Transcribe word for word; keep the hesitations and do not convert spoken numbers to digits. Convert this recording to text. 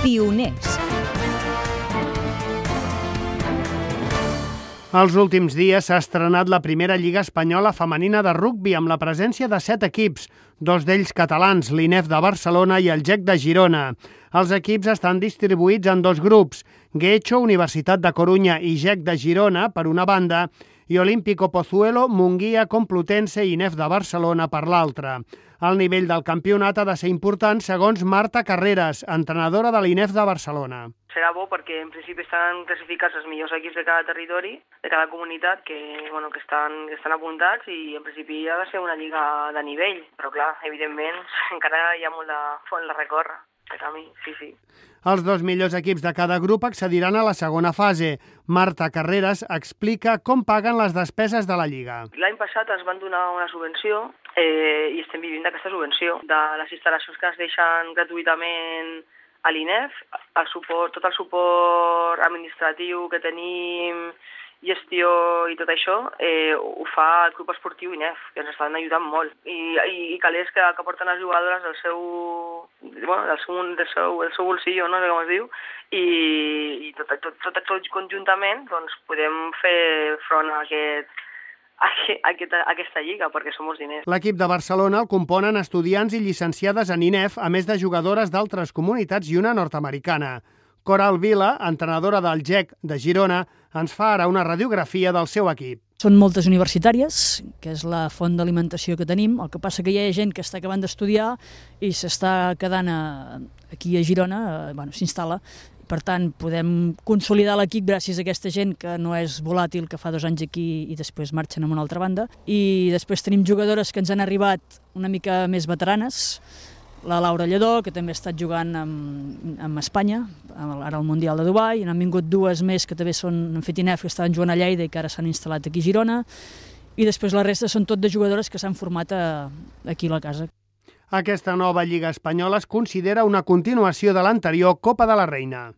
Pioners. Els últims dies s'ha estrenat la primera Lliga Espanyola Femenina de Rugbi amb la presència de set equips, dos d'ells catalans, l'I N E F de Barcelona i el G E C de Girona. Els equips estan distribuïts en dos grups, Guecho, Universitat de Corunya i G E C de Girona, per una banda, i Olímpico Pozuelo, Munguia, Complutense i I N E F de Barcelona per l'altra. El nivell del campionat ha de ser important segons Marta Carreras, entrenadora de l'I N E F de Barcelona. Serà bo perquè en principi estan classificats els millors equips de cada territori, de cada comunitat, que, bueno, que, estan, que estan apuntats, i en principi ha de ser una lliga de nivell. Però clar, evidentment, encara hi ha molt de font de recórrer, de camí, sí, sí. Els dos millors equips de cada grup accediran a la segona fase. Marta Carreras explica com paguen les despeses de la Lliga. L'any passat ens van donar una subvenció eh, i estem vivint d'aquesta subvenció, de les instal·lacions que ens deixen gratuïtament a l'I N E F, el suport, tot el suport administratiu que tenim, gestió i tot això, eh, ho fa el Club Esportiu I N E F, que ens estan ajudant molt. I, i, i calés que, que porten les jugadores del seu, bueno, del seu, del seu, del seu bolsillo, no sé com es diu, i, i tot, tot, tot, tot conjuntament doncs, podem fer front a aquest, a aquesta, a aquesta lliga, perquè som molts diners. L'equip de Barcelona el componen estudiants i llicenciades en I N E F, a més de jugadores d'altres comunitats i una nord-americana. Coral Vila, entrenadora del G E C de Girona, ens fa ara una radiografia del seu equip. Són moltes universitàries, que és la font d'alimentació que tenim. El que passa que hi ha gent que està acabant d'estudiar i s'està quedant a, aquí a Girona, a, bueno, s'instal·la. Per tant, podem consolidar l'equip gràcies a aquesta gent que no és volàtil, que fa dos anys aquí i després marxen a una altra banda. I després tenim jugadores que ens han arribat una mica més veteranes, la Laura Lledó, que també ha estat jugant amb, amb Espanya, ara al Mundial de Dubai, i n'han vingut dues més que també són, han fet I N E F, que estaven jugant a Lleida i que ara s'han instal·lat aquí a Girona, i després la resta són tot de jugadores que s'han format a, aquí a la casa. Aquesta nova Lliga Espanyola es considera una continuació de l'anterior Copa de la Reina.